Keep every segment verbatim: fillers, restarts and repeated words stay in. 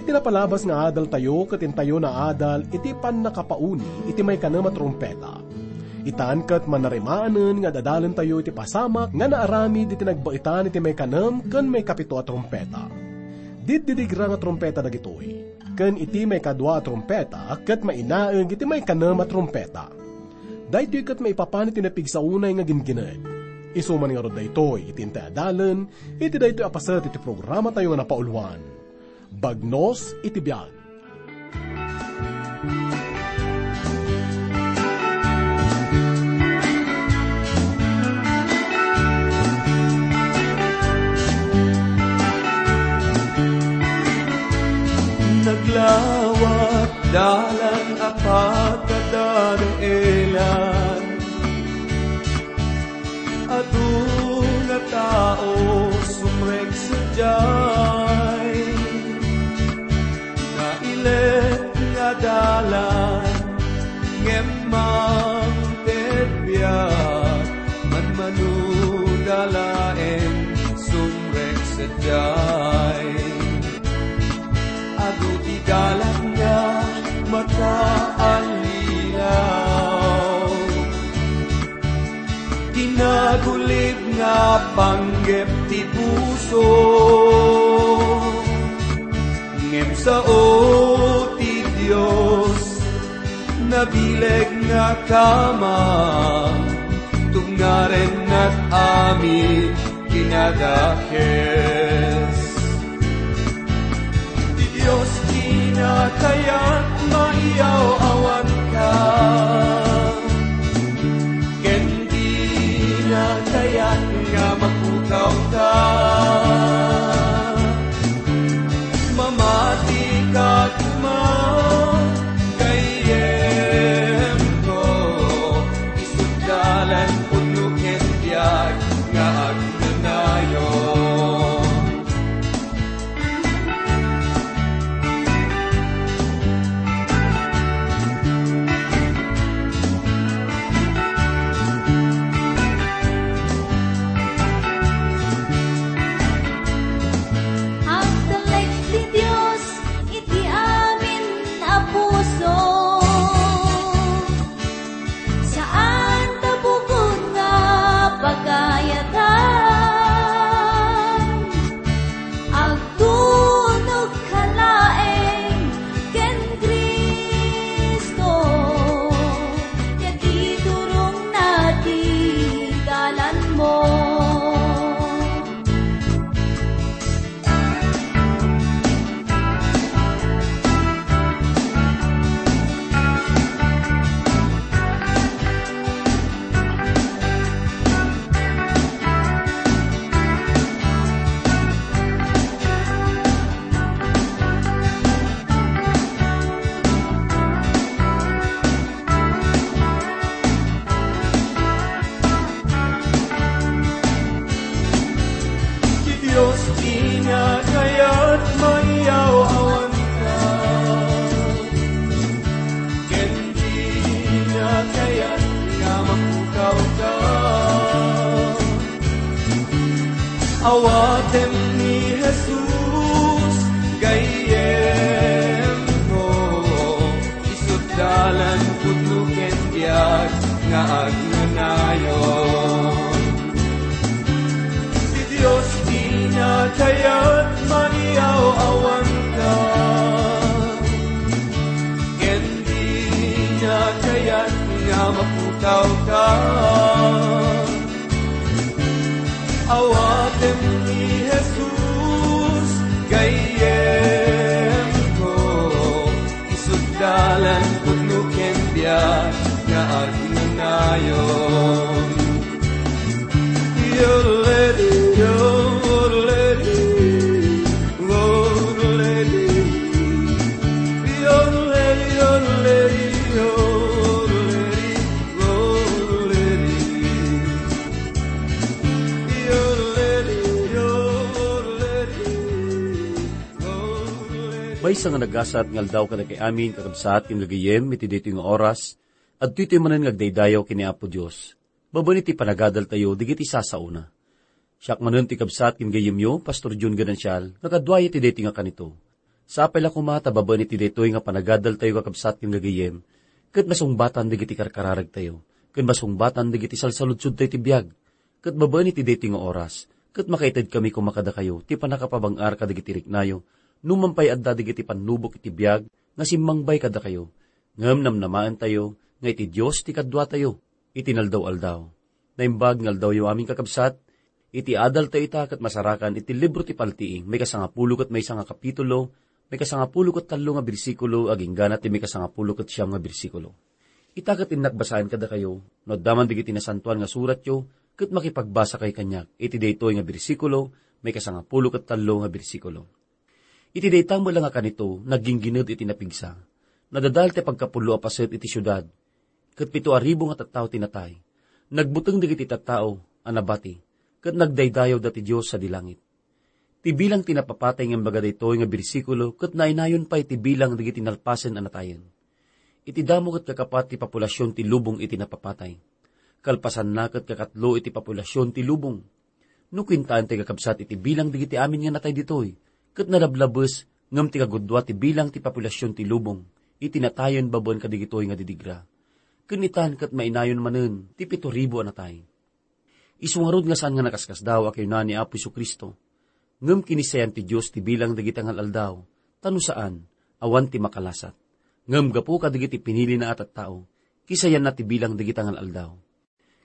Ti napalabas nga adaltayo ket intayo naadal iti pannakapauni iti maikanem a trumpeta. Itan ket manarimaanen nga ad-adalentayo iti pasamak nga naaramid iti nagbaetan iti maikanem ken maikapito a trumpeta. Diddidigra nga trumpeta dagitoy, ken iti maikadua a trumpeta ket mainaeg iti maikanem a trumpeta. Daytoy ket maipapan iti napigsaunay nga ginggined. Isu man ngarud daytoy iti intay adalen iti daytoy a paset iti programatayo nga napauluan, Bagnos iti Biag. Naglawat dalan a pagkadadaelan. Adu nga tao sumrek sadiay. Nailet nga dalan, ngem mangted biag, manmanuda laeng sumrek sadiay. Adu ti dalan nga makaallilaw. Ti nagulib nga panggep ti puso, ngem sao ti Dios. Nabileg nga kamang, tungaren nag-amin kinadakes. Ti Dios ti nakayat maiyaw-awanka, ken di nakayat nga mapukawka. Mamati ka koma, gayyemko, isut' dalan pudno ken biag nga agnanayon. Agtalek ti Dios iti amin a puso. Saan ta bugon nga pagayatan. Agtunogka laeng ken Cristo, ket iturongna ti dalanmo. Ti Dios ti nakayat maiyaw-awanka, ken di nakayat nga mapukawka. Awatem ni Jesus, gayyemko, isut' dalan pudno ken biag nga agnanayon. Ti Dios ti nakayat maiyaw-awanka, ken di nakayat nga mapukawka. Awatem ni Jesus, gayyemko, isut' dalan pudno ken biag nga agnanayon. Yodelay, yodelay, yodelay. Yodelay, yodelay, yodelay, yodelay. Maysa nga nagasat nga aldaw kadagiti amin, kakabsat, ken gagayyem, iti daytoy nga oras, adtoy tayo manen nga agdaydayaw ken ni Apo Dios, babaen iti panagadaltayo dagiti sasaona. Siak manen ti kabsat ken gayyemyo, Pastor John Ganancial, nga kaduayo iti daytoy nga kanito. Sapay la koma ta babaen iti daytoy nga panagadaltayo, kakabsat ken gagayem, ket masungbatan dagiti karkararagtayo, ken masungbatan dagiti salsaludsodtayo ti biag, ket babaen iti daytoy nga oras, ket makaitedkami koma kadakayo ti pannakapabang-ar kadagiti riknayo, no man pay adda dagiti pannubok iti biag nga simmangbay kadakayo. Ngem namnamaentayo nga iti Dios ti kaduatayo iti naldaw-aldaw. Naimbag nga aldawyo amin, kakabsat, iti adaltayo ita ket masarakan iti libro ti Paltiing, maikasangapulo ket maysa nga kapitulo, maikasangapulo ket tallo nga bersikulo, agingga na ti maikasangapulo ket siam nga bersikulo. Ita ket innak basaen kadakayo, no adda man dagiti nasantoan nga suratyo, ket makipagbasakay kaniak iti daytoy nga bersikulo, maikasangapulo ket tallo nga bersikulo. Iti dayta met la nga kanito, nagginggined iti napigsa. Nadadael ti pagkapullo a paset iti siudad, ket pito a ribu nga tattao ti natay. Nagbuteng dagiti tattao a nabati, ket nagdaydayawda ti Dios sadi langit. Ti bilang ti napapatay nga imbaga daytoy nga bersikulo ket nainayon pay ti bilang dagiti nalpasen a natayen. Iti damo ket kakapat ti populasion ti lubong iti napapatay. Kalpasanna ket kakatlo iti populasion ti lubong. No kuentaen ti kakabsat iti bilang dagiti amin nga natay ditoy, ket nalablabes ngem ti kagudua ti bilang ti populasion ti lubong iti natayen babaen kadagitoy nga didigra. Ken itan ket mainayon manen ti pito ribu a natay. Isu ngarud nga saan nga nakaskasdaaw a kinuna ni Apo Jesu-Cristo, ngem kinissayan ti Dios ti bilang dagiti angal-aldaw, ta no saan, awan ti makalasat. Ngem gapu kadagiti pinilina a tattao, kisayanna ti bilang dagiti angal-aldaw.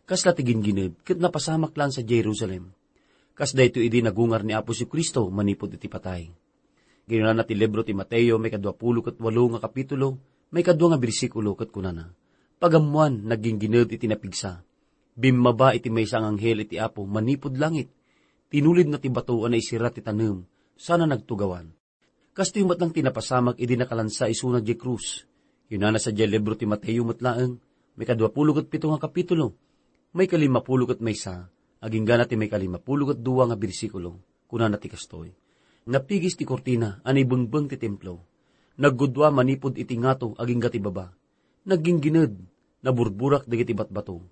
Kasla ti ginggined ket napasamak laeng sadiay Jerusalem. Kas daytoy idi nagungar ni Apo Jesu-Cristo manipud iti patay. Kinunana ti libro ti Mateo, maikadua pulo ket walo nga kapitulo, maikadua nga bersikulo, ket kunana, "Pagammoan, nagginggined iti napigsa. Bimmaba iti maysa nga anghel iti Apo manipud langit. Tinulidna ti bato a naisirra ti tanem, sana nagtugawan." Kastoy met lang ti napasamak idi nakalansa isuna diay krus. Kinunana sadiay libro ti Mateo met laeng, maikadua pulo ket pito nga kapitulo, maikalimapulo ket maysa, agingga na ti maikalimapulo ket dua nga bersikulo. Kunana ti kastoy, "Napigis ti kurtina a naibengbeng ti templo. Naggudua manipud iti ngato agingga ti baba. Nagginggined, naburburak dagiti batbato.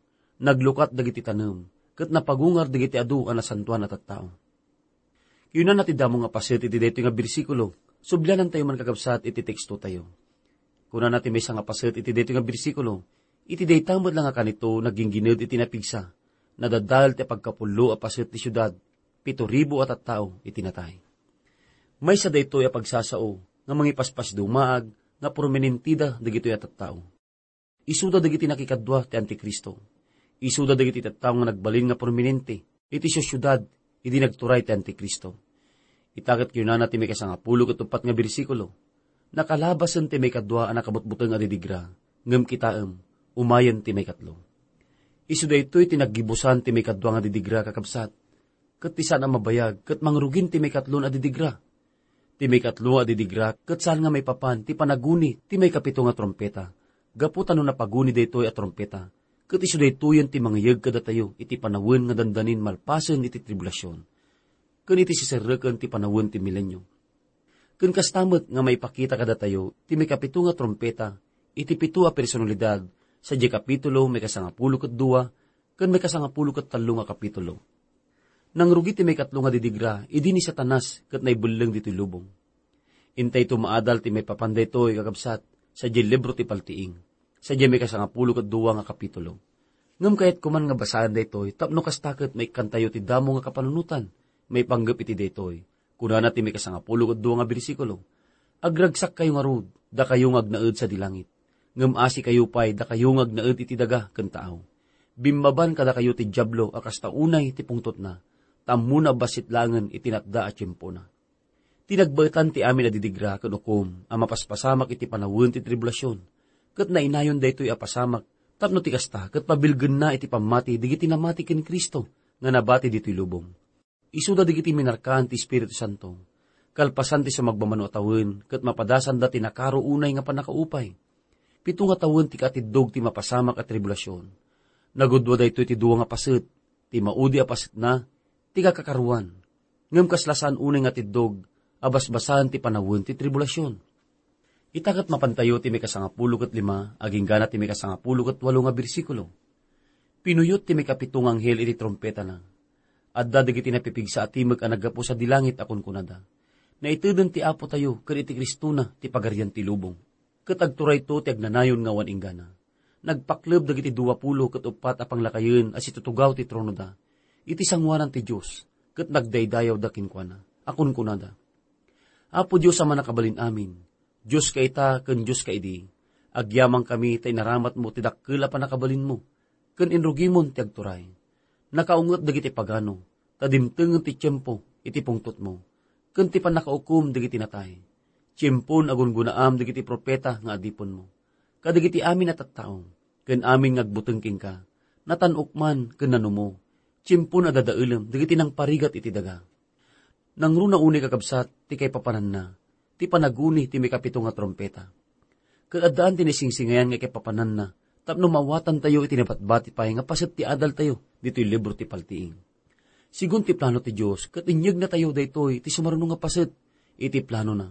Naglukat dagiti tanem, ket napagungar dagiti adu a nasantoan a tattao." Kinunana ti damo nga paset iti daytoy nga bersikulo, sublianantayo man, kakabsat, iti tekstotayo. Kunana ti maysa nga paset iti daytoy nga bersikulo, "Iti dayta met la nga kanito nagginggined iti napigsa, nadadael ti pagkapullo a paset ti siudad, pito ribu a tattao iti natay." Maysa daytoy a pagsasao nga mangipaspasdumaag nga prominentida dagitoy a tattao. Isuda dagiti nakikadua ti Antikristo. Isuda dagiti tattao nga nagbalin nga prominente iti siudad idi nagturay ti Antikristo. Ita ket kinunana ti maikasangapulo ket uppat nga bersikulo, "Nakalabasen ti maikadua a nakabutbuteng a didigra, ngem kitaem, umayen ti maikatlo." Isu daytoy ti naggibusan ti maikadua nga didigra, kakabsat, ket ti saan a mabayag ket mangrugin ti maikatlo a didigra. Ti maikatlo a didigra ket saan nga maipapan ti panaguni ti maikapito nga trumpeta. Gapu ta no napaguni daytoy a trumpeta, ket isu daytoyen ti mangiyeg kadatayo iti panawen nga dandanin malpasen iti tribulasion, ken iti siserreken ti panawen ti milenio. Ken kasta met nga maipakita kadatayo ti maikapito nga trumpeta iti pito a personalidad sadiay kapitulo maikasangapulo ket dua ken maikasangapulo ket tallo nga kapitulo. Nangrugi ti maikatlo nga didigra idi ni Satanas ket naibelleng ditoy lubong. Intayto maadal ti maipapan daytoy, kakabsat, sadiay libro ti Paltiing, sadiay maikasangapulo ket dua nga kapitulo. Ngem kayatko man nga basaen daytoy tapno kasta ket maikkantayo ti damo nga kapanunotan maipanggep iti daytoy. Kunana ti maikasangapulo ket dua nga bersikulo, "Agragsakkayo ngarud, dakayo nga agnaed sadi langit. Ngem asikayo pay, dakayo nga agnaed iti daga ken taaw. Bimmaban kadakayo ti Diablo a kasta unay ti pungtotna, ta ammona a bassit laengen iti natda a tiempona." Ti nagbaetan ti amin a didigra ken ukom a mapaspasamak iti panawen ti tribulasion, ket nainayon daytoy a pasamak tapno ti kasta ket pabilgenna iti pammati dagiti namati ken Cristo nga nabati ditoy lubong. Isuda dagiti minarkaan ti Espiritu Santo, kalpasan ti sumagmamano a tawen ket mapadasanda ti nakaro unay nga pannakaupay. Pito nga tawen ti katiddog ti mapasamak a tribulasion. Nagudua daytoy ti dua nga paset, ti maudi a pasetna, ti kakakaruan. Ngem kasla saan unay nga tiddog a basbasaen ti panawen ti tribulasion. Ita ket mapantayo ti maikasangapulo ket lima, agingga na ti maikasangapulo ket walo nga bersikulo. Pinuyot ti maikapito nga anghel iti trumpetana. Adda dagiti napipigsa a timek a naggapu sadi langit a kunkunada, Naiteden ti Apotayo ken iti Cristona ti Pagarian ti lubong. Ket agturayto ti agnanayon nga awan inggana. Nagpakleb dagiti dua pulo ket uppat a panglakayen a situtugaw ti tronoda iti sangoanan ti Dios, ket nagdaydayawda kenkuana, a kunkunada, "Apo Dios a Mannakabalin-amin, Dioska ita ken Dioska idi, agyamankami ta inaramatmo ti dakkel a pannakabalinmo, ken inrugimon ti agturay. Nakaunget dagiti pagano, ta dimtengen ti tiempo iti pungtotmo, ken ti pannakaukom dagiti natay. Tiempon a gungunaam dagiti profeta nga adipenmo, kadagiti amin a tattao, ken amin nga agbuteng kenka, natan-ok man ken nanumo, tiempon a dadaelem dagiti nangparigat iti daga." Nangruna unay, kakabsat, ti kaipapananna, ti panaguni ti maikapito nga trumpeta. Ket addaan ti naisingsingayan nga kaipapananna tapno maawatantayo iti nabatbati pay nga paset ti adaltayo ditoy libro ti paltiing. Sigun ti plano ti Dios, ket inyegnatayo daytoy ti sumaruno nga paset iti planona.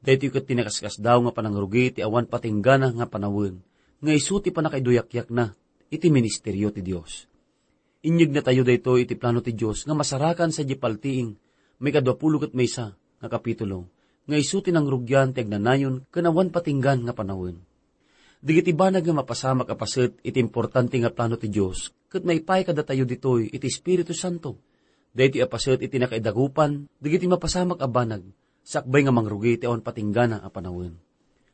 Daytoy ket ti nakaskasdaaw nga panangrugi ti awan patinggana nga panawen, nga isu ti pannakaiduyakyakna iti ministerio ti Dios. Inyegnatayo daytoy iti plano ti Dios nga masarakan sadiay paltiing maikadua pulo ket maysa nga kapitulo, nga isu ti nangrugian ti agnanayon ken awan patinggan nga panawen. Dagiti banag nga mapasamak a paset iti importante nga plano ti Dios ket maipaay kadatayo ditoy iti Espiritu Santo. Daytoy a paset iti nakaidagupan dagiti mapasamak a banag sakbay nga mangrugi ti awan patinggana a panawen.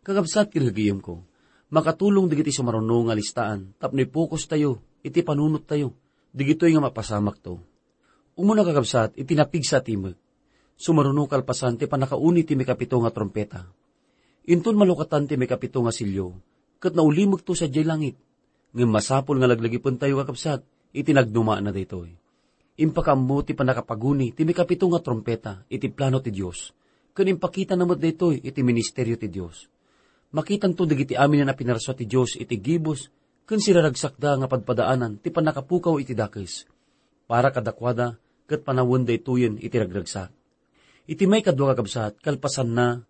Kakabsat ken gagayemko, makatulong dagiti sumaruno nga listaan tapno ipokustayo iti panunottayo dagitoy nga mapasamakto. Umuna, kakabsat, iti napigsa a timek, sumaruno kalpasan ti pannakauni ti maikapito nga trumpeta. Inton malukatan ti maikapito nga selio, ket naulimekto sadiay langit. Ngem masapul nga laglagipentayo, kakabsat, iti nagdumaanna daytoy. Impakaammo ti pannakapaguni ti maikapito nga trumpeta iti plano ti Dios, ken impakitana met daytoy iti ministerio ti Dios. Makitanto dagiti amin a pinarsua ti Dios iti gibus ken siraragsakda nga padpadaanan ti pannakapukaw iti dakes. Para kadakuada, ket panawen daytoyen iti ragragsak. Iti maikadua, kakabsat, kalpasanna,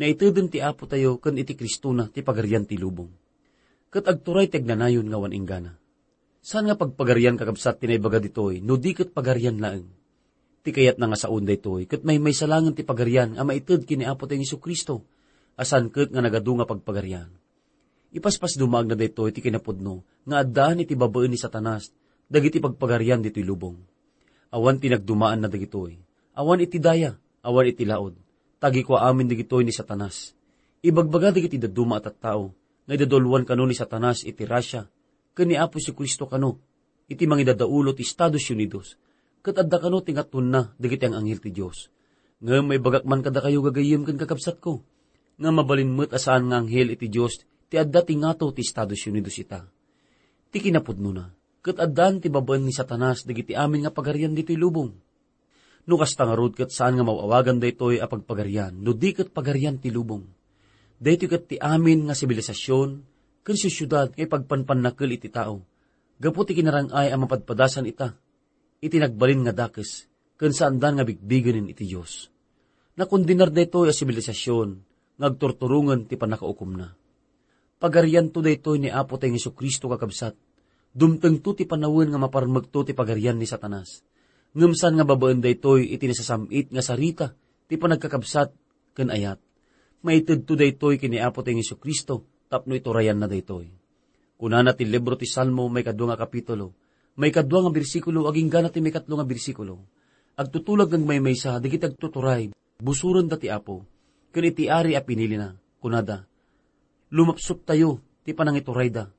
naiteden ti Apotayo ken iti Cristona ti Pagarian ti lubong. Ket agturay ti agnanayon nga awan inggana. Saan nga pagpagarian, kakabsat, ti naibaga ditoy, no di ket pagarian laeng? Ti kayatna nga saon daytoy, ket maymaysa laengen ti pagarian a maited ken ni Apotayo Jesu-Cristo, a saan ket nga nagadu nga pagpagarian. Ipaspasdumaagna daytoy ti kinapudno nga addaan iti babaen ni Satanas dagiti pagpagarian ditoy lubong. Awan ti nagdumaanna dagitoy. Awan iti daya, awan iti laud. Tagikua amin dagitoy ni Satanas. Ibagbaga dagiti dadduma a tattao nga idaduluan kano ni Satanas iti Russia ken ni Apo Jesu-Cristo kano iti mangidadaulo ti Estados Unidos, ket adda kano ti ngatonna dagiti ang-anghel ti Dios. Ngem maibagak man kadakayo, gagayyem ken kakabsatko, nga mabalin met a saan nga anghel iti Dios ti adda ti ngato ti Estados Unidos ita. Ti kinapudnona, ket addaan ti babaen ni Satanas dagiti amin nga pagarian ditoy lubong. No kasta ngarud, ket saan nga maw-awagan daytoy a pagpagarian no di ket pagarian ti lubong. Daytoy ket ti amin nga sibilisasyon ken siudsiudad nga ipagpanpannakel iti tao gapu ti kinarang-ay a mapadpadasan ita iti nagbalin nga dakes ken saandan nga bigbigenen iti Dios. Nakondenar daytoy a sibilisasyon nga agturturongen ti pannakaukomna. Pagarianto daytoy ni Apotayo Jesu-Cristo, kakabsat. Dumtengto ti panawen nga maparmekto ti pagarian ni Satanas. Ngem saan nga babaen daytoy iti nasasam-it nga sarita ti panagkakabsat ken ayat. Maitedto daytoy ken ni Apotayo Jesu-Cristo tapno iturayanna daytoy. Kunana ti libro ti Salmo, maikadua nga kapitulo, maikadua nga bersikulo, agingga na ti maikatlo nga bersikulo, "Agtutulag nga agmaymaysa dagiti agtuturay, busorenda ti Apo, ken iti Ari a pinilina." Kunada, "Lumapsottayo ti panangiturayda,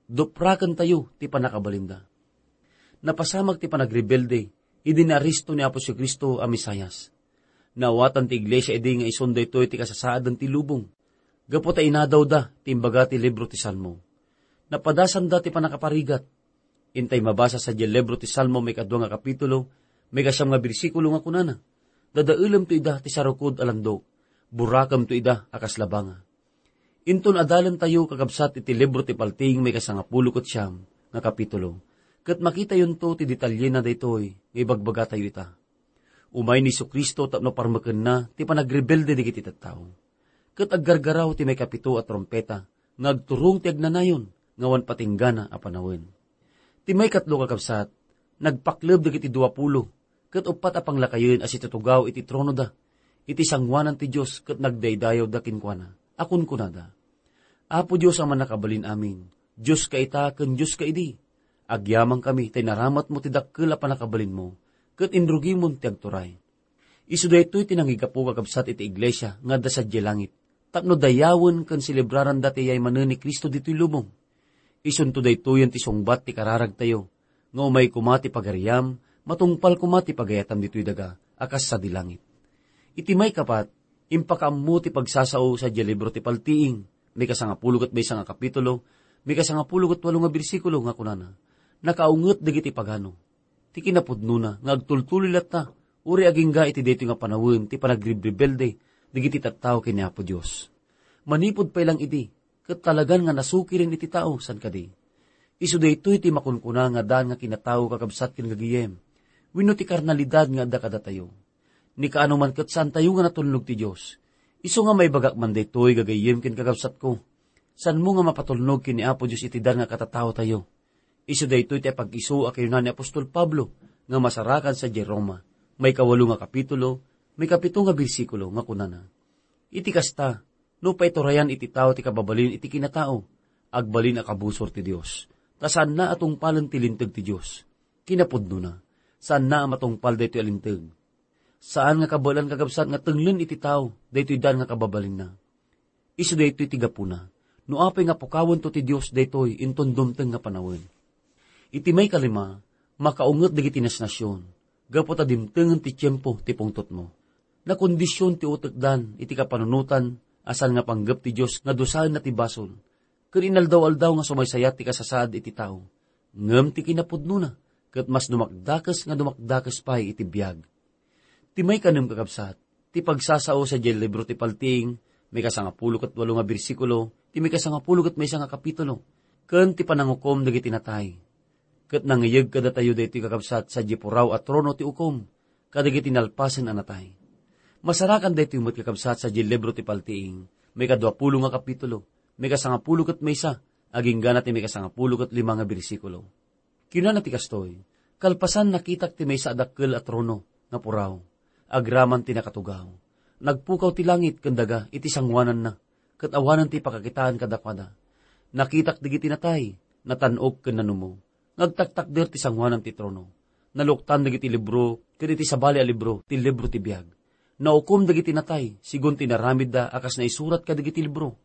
duprakentayo ti pannakabalinda." Napasamak ti panagrebelde idi naaresto ni Apo Jesu-Cristo a Mesias. Naawatan ti iglesia idi nga isun daytoy ti kasasaadan ti lubong, gapu ta inadawda ti imbaga ti libro ti Salmo. Napadasanda ti pannakaparigat. Intay mabasa sadiay libro ti Salmo, maikadua nga kapitulo, maikasiam nga bersikulo nga kunana, "Dadaelemto ida ti sarukod a landok, burakemto ida a kas labanga." Inton adalentayo, kakabsat, iti libro ti Paltiing, maikasangapulo ket siam nga kapitulo, ket makitayonto ti detalyena daytoy nga ibagbagatayo ita. Umay ni Jesu-Cristo tapno parmekenna ti panagrebelde dagiti tattao. Ket aggargaraw ti maikapito a trumpeta nga agturong ti agnanayon nga awan patinggana a panawen. Ti maikatlo, kakabsat, nagpakleb dagiti dua pulo ket uppat a panglakayen a situtugaw iti tronoda iti sangoanan ti Dios ket nagdaydayawda kenkuana a kunkunada, "Apo Dios a Mannakabalin-amin, Dioska ita ken Dioska idi. Agyamankami ta inaramatmo ti dakkel a pannakabalinmo ket inrugimon ti agturay." Isu daytoy ti nangigapu, kakabsat, iti iglesia nga adda sadiay langit, tapno dayawen ken selebraranda ti yaymanen ni Cristo ditoy lubong. Isunto daytoyen ti sungbat ti kararagtayo, nga umay koma ti pagariam, matungpal koma ti pagayatam ditoy daga a kas sadi langit. Iti maikapat, impakaammo ti pagsasao sadiay libro ti Paltiing, maikasangapulo ket maysa nga kapitulo, maikasangapulo ket walo nga bersikulo nga kunana, "Nakaunget dagiti pagano." Ti kinapudnona nga agtultuloy latta, uray agingga iti daytoy nga panawen ti panagrebrebelde dagiti tattao ken ni Apo Dios. Manipud pay lang idi, ket talagan nga nasukiren iti tao, saan kadi? Isu daytoy ti makunkuna nga daan nga kinatao, kakabsat ken gagayem, wenno ti karnalidad nga adda kadatayo. Ni kaano man ket saantayo nga natulnog ti Dios. Isu nga maibagak man daytoy, gagayem ken kakabsatko, saanmo nga mapatulnog ken ni Apo Dios iti daan nga katataotayo. Isu daytoy ti apag-isu a kinuna ni apostol Pablo nga masarakan sadiay Roma, maikawalo nga kapitulo, maikapito nga bersikulo, nga kunana, "Iti kasta, no paiturayan iti tao ti kababalin iti kinatao, agbalin a kabusor ti Dios, ta saanna a tungpalen ti linteg ti Dios." Kinapudnona, saanna a matungpal daytoy a linteg. Saan nga kabaelan, kakabsat, nga tenglen iti tao daytoy daan nga kababalinna. Isu daytoy ti gapuna, no apay nga pukawento ti Dios daytoy inton dumteng nga panawen. Iti maikalima, makaunget dagiti nasnasion, gapu ta dimtengen ti tiempo ti pungtotmo. Nakondision ti utekdan iti kapanunotan a saan nga panggep ti Dios nga dusaenna ti basol, ken inaldaw-aldaw nga sumaysayat ti kasasaad iti tao. Ngem ti kinapudnona, ket mas dumakdakes nga dumakdakes pay iti biag. Ti maikanem, kakabsat, ti pagsasao sadiay libro ti Paltiing, maikasangapulo ket walo nga bersikulo, ti maikasangapulo ket maysa nga kapitulo, ken ti panangukom dagiti natay. Ket nangiyeg kadatayo daytoy, kakabsat, sadiay puraw a trono ti ukom kadagiti nalpasen a natay. Masarakan daytoy met, kakabsat, sadiay libro ti Paltiing, maikaduapulo nga kapitulo, maikasangapulo ket maysa, agingga na ti maikasangapulo ket lima nga bersikulo. Kinana ti kastoy, "Kalpasan, nakitak ti maysa a dakkel a trono nga puraw, agraman ti nakatugaw. Nagpukaw ti langit ken daga iti sangoananna, ket awanen ti pakakitaan kadakuada. Nakitak dagiti natay, natan-ok ken nanumo, nga agtaktakder ti sangoanan ti trono. Naluktan dagiti libro, ket iti sabali a libro, ti libro ti biag. Naukom dagiti natay, sigun ti inaramidda a kas naisurat kadagiti libro.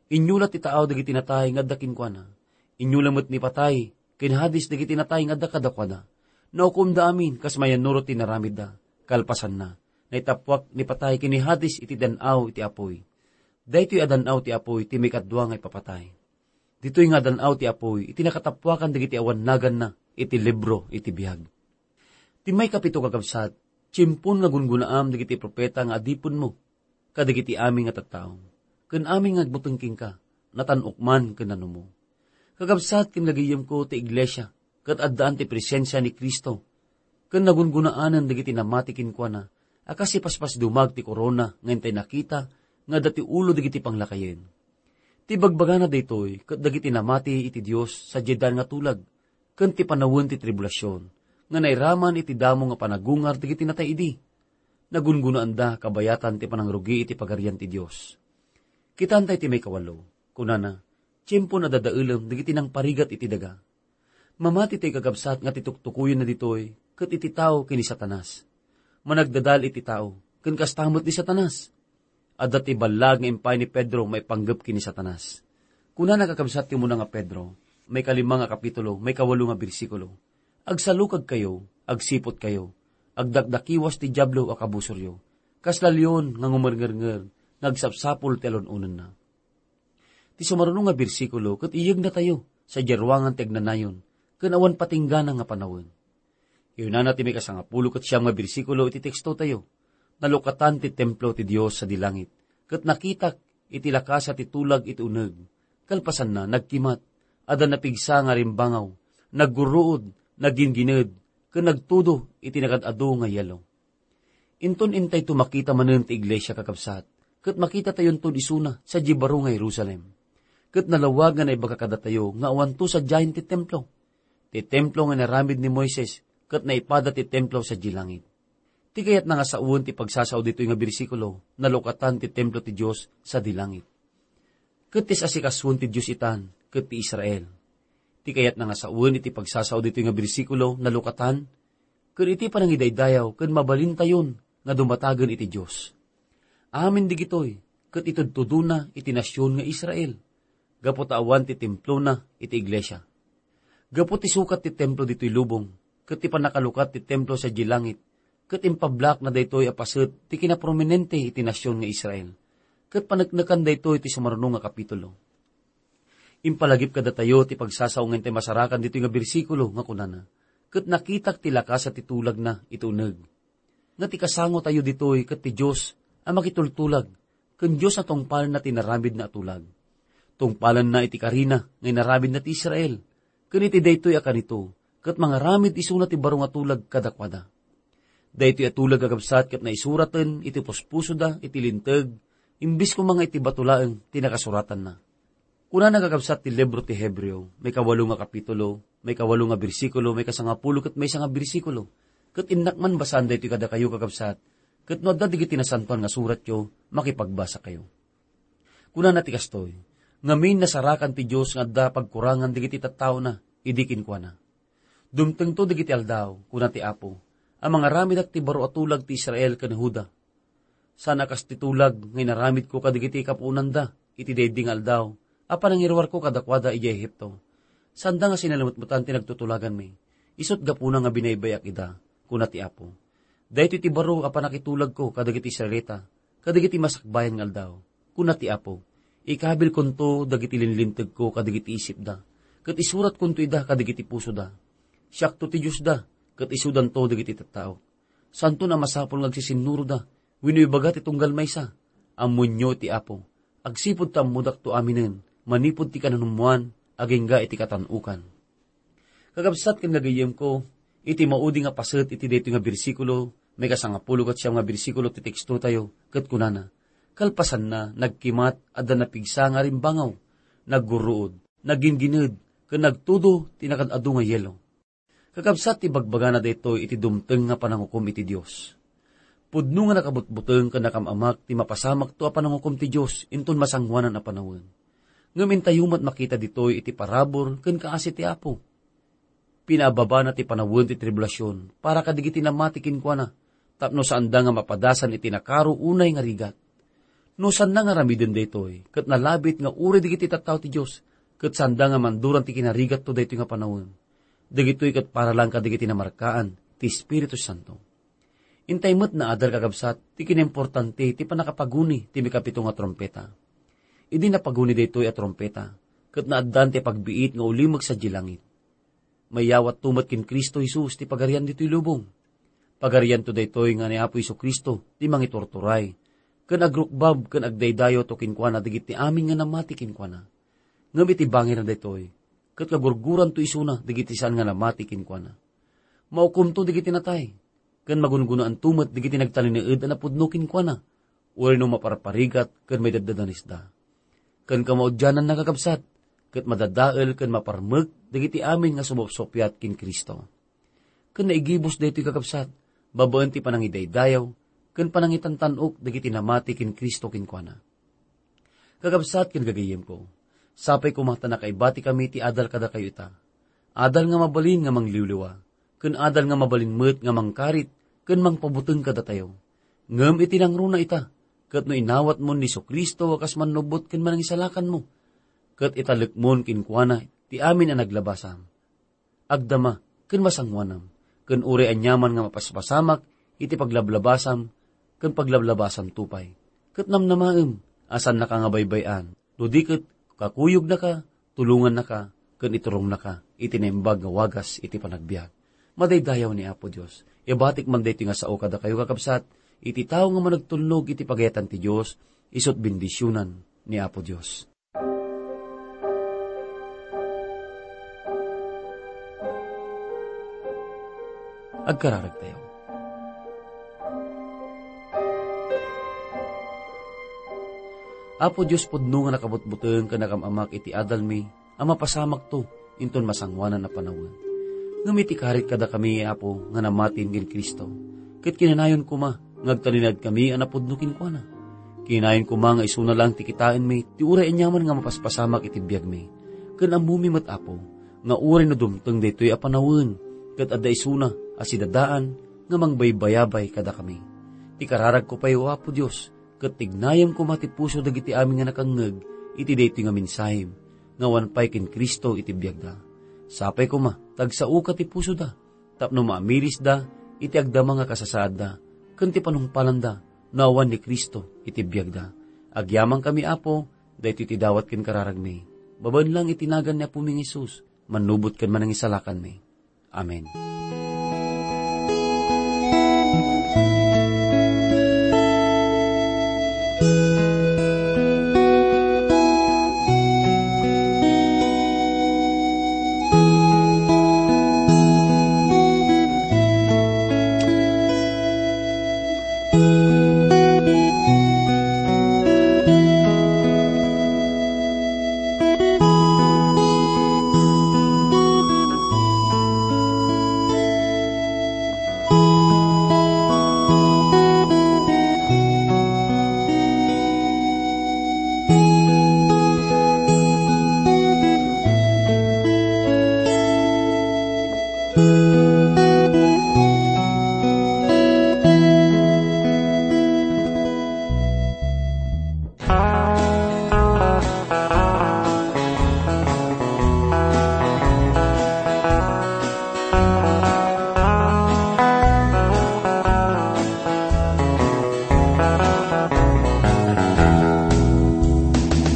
Inyulat ti taaw dagiti natay nga adda kenkuana. Inyula met ni patay ken Hades dagiti natay nga adda kadakuada. Naukomda amin kas mayannurot ti inaramidda. Kalpasanna, naitappuak ni patay ken ni Hades iti dan-aw iti apuy. Daytoy a dan-aw ti apuy ti maikadua nga ipapatay. Ditoy nga dan-aw ti apuy iti nakatappuakan dagiti awan naganna iti libro iti biag." Ti maikapito, kakabsat, tiempon nga gungunaam dagiti profeta nga adipenmo kadagiti amin nga tattao, ken amin nga agbuteng kenka, natan-ok man ken nanumo. Kakabsat ken gagayemko, ti iglesia ket addaan ti presensia ni Cristo, ken nagungunaanen dagiti namati kenkuana a kas ipaspasidumag ti korona nga intay nakita nga adda ti ulo dagiti panglakayen. Ti bagbagana daytoy ket dagiti namati iti Dios sadiay dan nga tulag, ken ti panawen ti tribulasion nga nairaman iti damo nga panagungar dagiti natay idi. Nagungunaanda kabayatan ti panangrugi iti Pagarian ti Dios. Kitaentay ti maikawalo. Kunana, "Tiempon a dadaelem dagiti nangparigat iti daga." Mamati tay, kakabsat, nga ti tuktukoyenna ditoy ket iti tao ken ni Satanas. Managdadal iti tao, ken kasta met ni Satanas. Adda ti ballag nga impay ni Pedro maipanggep ken ni Satanas. Kunana, kakabsat, ti umuna nga Pedro, maikalima nga kapitulo, maikawalo nga bersikulo, "Agsalukagkayo, agsiputkayo, agdakdakiwas ti Diablo a kabusoryo, kasla leon nga ngumernger nga agsapsapul ti alun-onenna." Ti sumaruno nga bersikulo ket iyegnatayo sadiay ruangan ti agnanayon ken awan patinggana nga panawen. Kinunana ti maikasangapulo ket siam nga bersikulo iti tekstotayo, "Nalukatan ti templo ti Dios sadi langit, ket nakitak iti lakasa ti tulag iti uneg. Kalpasanna, nagkimat, adda napigsa nga rimbangaw, naggurruod, naggingined, ken nagtudo iti nagad-adu nga yelo." Inton intayto makita manen ti iglesia, kakabsat, ket makitatayonton isuna sadiay baro nga Jerusalem. Ket nalawag nga naibaga kadatayo nga awanto sadiayen ti templo. Ti templo nga inaramid ni Moises ket naipada ti templo sadiay langit. Ti kayatna nga sawen ti pagsasao ditoy nga bersikulo, nalukatan ti templo ti Dios sadi langit. Ket ti asikasuen ti Dios itan ket ti Israel. Ti kayatna nga sawen iti pagsasao ditoy nga bersikulo, nalukatan, ket iti panangidaydayaw ken mabalintayon nga dumatagen iti Dios. Amin digitoy ket itudtudona iti nasion nga Israel, gapu ta awan ti templona iti iglesia. Gapu ti sukat ti templo ditoy lubong, ket ti pannakalukat ti templo sadiay langit, ket impablakna daytoy a paset ti kinaprominente iti nasion nga Israel, ket paneknekan daytoy ti sumaruno nga kapitulo. Impalagip kadatayo ti pagsasao nga intay masarakan ditoy nga bersikulo nga kunana, "Ket nakitak ti lakasa ti tulagna iti uneg." Nga ti kasangotayo ditoy ket ti Dios a makitultulag, ken Dios a tungpalenna ti inaramidna a tulag. Tungpalenna iti karina nga inaramidna ti Israel, ken iti daytoy a kanito, ket mangaramid isuna ti baro nga tulag kadakuada. Daytoy a tulag a kabsat ket naisuraten iti puspusoda iti linteg, imbes koma nga iti bato laeng ti nakasuratanna. Kunana, kakabsat, ti libro ti Hebreo, maikawalo nga kapitulo, maikawalo nga bersikulo, maikasangapulo ket maysa nga bersikulo. Ket innak man basaan daytoy kadakayo, kakabsat, ket no adda dagiti nasantoan nga suratyo, makipagbasakayo. Kunana ti kastoy, "Ngamin, nasarakan ti Dios nga adda pagkurangan dagiti tattaona idi kinkuana, 'Dumtengto dagiti aldaw,' kuna ti Apo, 'a mangaramidak ti baro a tulag ti Israel ken Juda. Saan a kas ti tulag nga inaramidko kadagiti kapuonanda iti daydi nga aldaw a panangiruarko kadakuada idiay Egipto. Saanda nga sinalemetmetan ti nagtutulaganmi, isut' gapuna nga binaybay-ak ida,' kuna ti Apo. 'Daytoy ti baro a pannakitulagko kadagiti Israelita kadagiti masakbayan nga aldaw,' kuna ti Apo. 'Ikabilkonto dagiti linlintegko kadagiti isipda, ket isuratkonto ida kadagiti pusoda. Siakto ti Diosda, ket isudanto dagiti tattaok. Saanton a masapul nga agsisinnuroda wenno ibaga ti tunggal maysa, 'Ammoenyo ti Apo.' Agsipud ta ammodakto aminen, manipud ti kananummoan agingga iti katan-okan." Kakabsat ken gagayyemko, iti maudi nga paset iti daytoy nga bersikulo, maikasangapulo ket siam nga bersikulo ti tekstotayo, ket kunana, "Kalpasanna, nagkimat, adda napigsa nga arimbangaw, naggurruod, nagginggined, ken nagtudo ti nakaad-adu nga yelo." Kakabsat, ti bagbagana daytoy iti dumteng nga panangukom iti Dios. Pudno nga nakabutbuteng ken nakam-amak ti mapasamakto a panangukom ti Dios inton masangoanan a panawen. Ngem intayo met makita ditoy iti parabur ken kaasi ti Apo. Pinaababana ti panawen ti tribulasion para kadagiti namati kenkuana, tapno saanda nga mapadasan iti nakaro unay nga rigat. No saanda nga aramiden daytoy, ket nalabit nga uray dagiti tattao ti Dios, ket saanda nga manduran ti kinarigatto daytoy nga panawen, dagitoy ket para laeng kadagiti namarkaan ti Espiritu Santo. Intay met naadal, kakabsat, ti kinaimportante ti pannakapaguni ti mikapito nga trumpeta. Idi napaguni daytoy a trumpeta, ket naaddan ti pagbiit nga ulimek sadiay langit. Mayawatto met ken Cristo Jesus ti pagarian ditoy lubong. Pagarianto daytoy nga ni Apo Jesu-Cristo ti mangiturturay, ken agrukbab ken agdaydayawto kenkuana dagiti amin nga namati kenkuana. Ngem iti bangirna daytoy, ket kagurguranto isuna dagiti saan nga namati kenkuana. Maukomto dagiti natay, ken magungunaanto met dagiti nagtalinaed a napudno kenkuana, uray no maparparigat ken maidaddadanesda. Ken kamaudiananna, kakabsat, ket madadael ken maparmek dagiti amin nga sumupsuppiat ken Cristo. Ken naigibus daytoy, kakabsat, babaen ti panangidaydayaw ken panangitantan-ok dagiti namati ken Cristo kenkuana. Kakabsat ken gagayyemko, sapay koma ta nakaibatikami ti adal kadakayo ita. Adal nga mabalin nga mangliwliwa, ken adal nga mabalin met nga mangkarit ken mangpabuteng kadatayo. Ngem iti nangruna ita, ket no inawatmon ni Jesu-Cristo a kas Mannubbot ken Manangisalakanmo, ket italekmon kenkuana ti amin a naglabasam, agdama ken masangoanam, ken uray aniaman nga mapaspasamak iti paglablabasam ken paglablabasamto pay. Ket namnamaem a saannaka nga baybay-an, no di ket kakuyognaka, tulongannaka, ken iturongnaka iti naimbag nga wagas iti panagbiag. Madaydayaw ni Apo Dios. Ibatik man daytoy nga sao kadakayo, kakabsat, iti tao nga managtulnog iti pagayatan ti Dios, isut' bendisionan ni Apo Dios. Agkararagtayo. Apo Dios, pudno nga nakabutbuteng ken nakam-amak iti adalmi a mapasamakto inton masangoanan a panawen. Ngem iti karit kadakami, Apo, nga namatin ken Cristo, Ket kinanayon koma nga agtalinaedkami a napudno kenkuana. Kinanayon koma nga isuna laeng ti kitaenmi ti uray aniaman nga mapaspasamak iti biagmi. Ken ammomi met, Apo, nga uray no dumteng daytoy a panawen, ket adda isuna a sidadaan nga mangbaybayabay kadakami. Ti kararagko pay, O Apo Dios, ket tignayem koma ti puso dagiti amin nga nakangngeg iti daytoy nga mensahem nga awan pay ken Cristo iti biagda. Sapay koma ta agsaoka ti pusoda tapno maamirisda iti agdama nga kasasaadda ken ti panungpalanda no awan ni Cristo iti biagda. Agyamankami, Apo, daytoy ti dawat ken kararagmi. Babaen lang iti nagan ni Apomi nga Jesus, mannubot ken manangisalakanmi. Amen.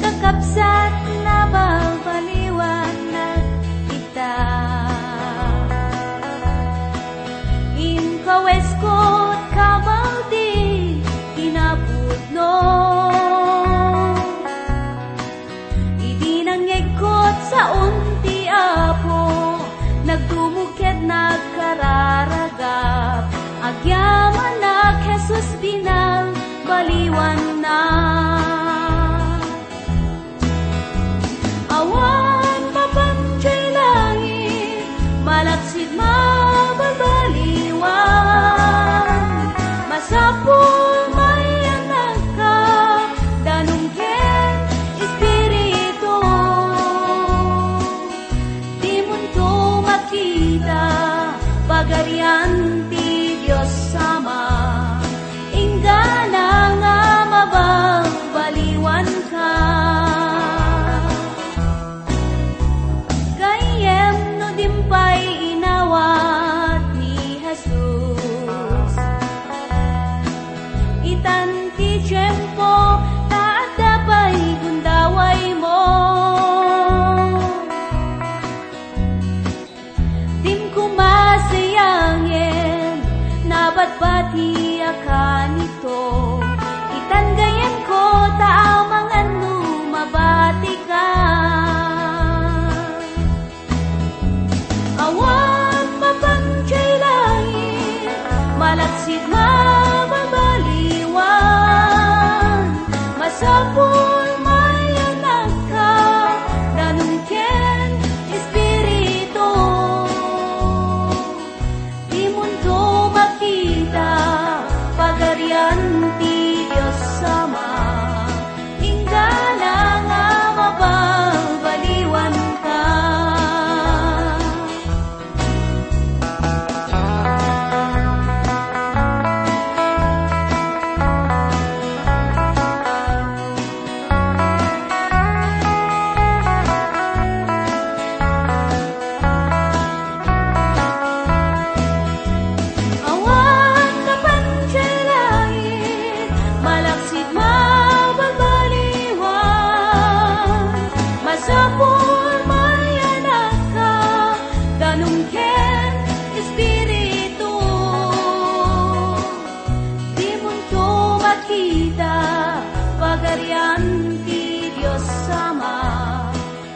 Kakabsat, nabalbaliwannak ita. Inkawesko ti kabaw ti kinapudno. Idi nangngegko, saon ti Apo, nagdumog ket nagkararagap. Agyamanak, Jesus, binalbaliwanna. Awan mapan jay langit, malaksid mabalbaliwan. Masapul mayanakka, danum ken Espiritu. Dimonto makita, Pagarian ti Dios Ama. Inggana nga mabalbaliwanka. Gayyem no dim pay inawat ni Jesus. Itan ti tiempo, ta adda pay gundawaymo. Dim koma sayangen, nabati a kanito. Itan gayyemko, ta amangan no mabatika. Awan mapan jay langit, malaksid mababaliwan. Masapul mayanakka, danum ken Espiritu. Dimonto makita, Pagarian ti Dios Ama. Inggana nga mabalbaliwanka. Awan mapan jay langit, malaksid mababaliwan. Masapul mayanakka, danum ken Espiritu. Dimonto makita, Pagarian ti Dios Ama.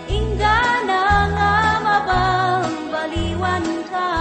Inggana nga mabalbaliwanka.